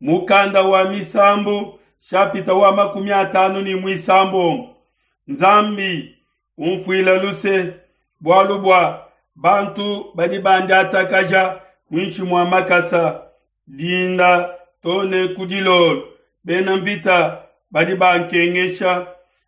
Mukanda wa Misambu shapita wa 56. Nzambi umfuila luse bualu bua bantu badi bandiatakaja muinshi mua makasa dinda to ne ku dilolo. Bena mvita badi bankengesha,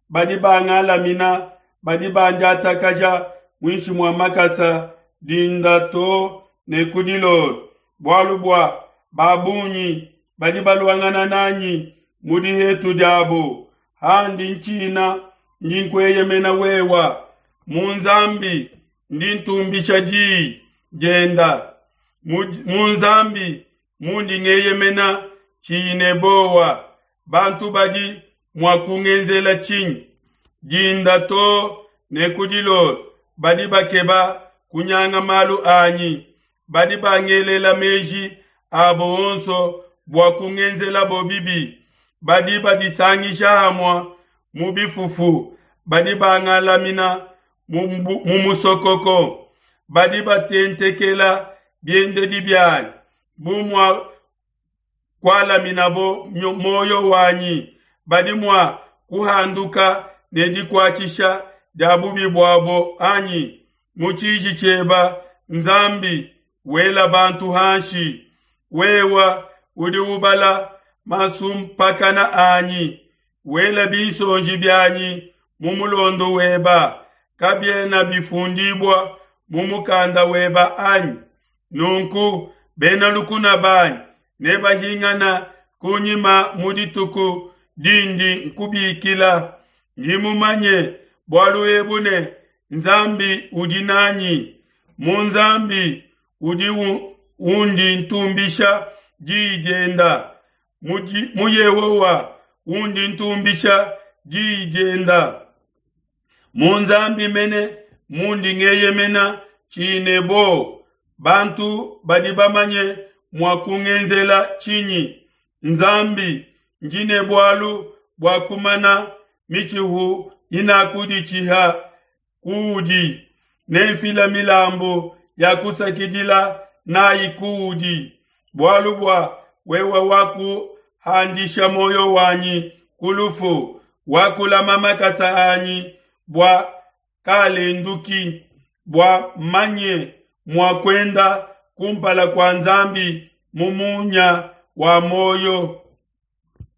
badi bangalamina, badi bandiatakaja muinshi mua makasa dinda to ne ku dilolo. Bualu bua ba bungi badi baluangana nanyi mu dihetu diabo, handi ntshina ndi nkueyemena wewa. Mu Nzambi ndi ntumbisha diyi dienda, mu Nzambi mundi ngeyemena tshiyi ne bowa. Bantu badi mua kungenzela tshinyi? Dinda to ne ku dilolo badi bakeba kunyanga malu anyi, badi bangelela meji abo onso bua kungenzelabo bibi. Badi badisangisha hamue mu bifufu, badi bangalamina mu musokoko, badi batentekela biendedi bianyi bu mua kualaminabo muoyo wanyi. Badi mua kuhanduka ne dikuatshisha dia bubi buabo anyi? Mu tshiji tshieba Nzambi wela bantu hanshi, wewa udi ubala masumpakana anyi, wela binsonji bianyi mu mulondo weba, kabiena bifundibua mu mukanda weba anyi? Nunku bena lukuna banyi nebahingana kunyima mu dituku dindi nkubikila. Ndi mumanye bualu ebu ne Nzambi udi nanyi. Mu Nzambi udi undi ntumbisha diyi dienda, mu Yehowa undi ntumbisha diyi dienda. Mu Nzambi mene mundi ngeyemena tshiyi ne bowa. Bantu badi bamanye mua kungenzela tshinyi? Nzambi ndi ne bualu bua kumana mitshihu inakuditshiha kuudi, nenfila milambu ya kusakidila nayi kuudi, bualu bua wewe wakuhandisha muoyo wanyi ku lufu, wakulama makasa anyi bua kalenduki, bua manye mua kuenda kumpala kua Nzambi mu munya wa muoyo.